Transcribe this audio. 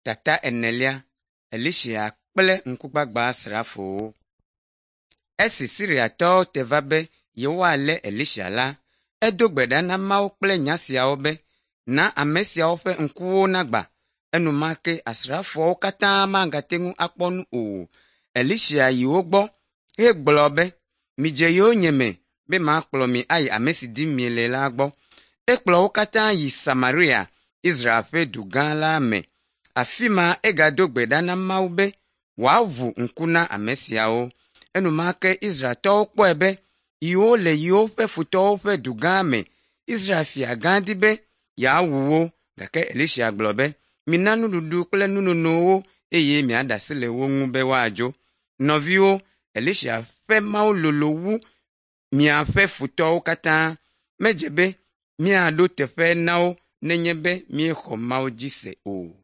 Tata enelia, Elisa kple ŋkugbagba-srafowo. Esi Siriatɔwo te va be yewoalé Elisa la, edo gbe ɖa na Mawu kple nya siawo be, Na ame siawo ƒe ŋkuwo nagbã. Enumake asrafoawo katã magate ŋu akpɔ nu o. Elisa yi wo gbɔ hegblɔ be, Midze yonyeme be makplɔ mi ayi ame si dim miele la gbɔ. Ekplɔ wo katã yi Samaria, Israel ƒe du gã la me. Afi ma egado gbe ɖa na Mawu be wòaʋu ŋku na ame siawo. Enumake Israeltɔwo kpɔe be yewole yewoƒe futɔwo ƒe du gã me. Israel fia gã di be yeawu wo gake Elisa gblɔ be, Mina nuɖuɖu kple nunono wo eye miaɖe asi le wo ŋu be woadzo. Nɔviwo, Elisa ƒe Mawu lolo wu miaƒe futɔwo katã. Medze be míaɖo teƒe na wo nenye be míexɔ Mawu dzi se o.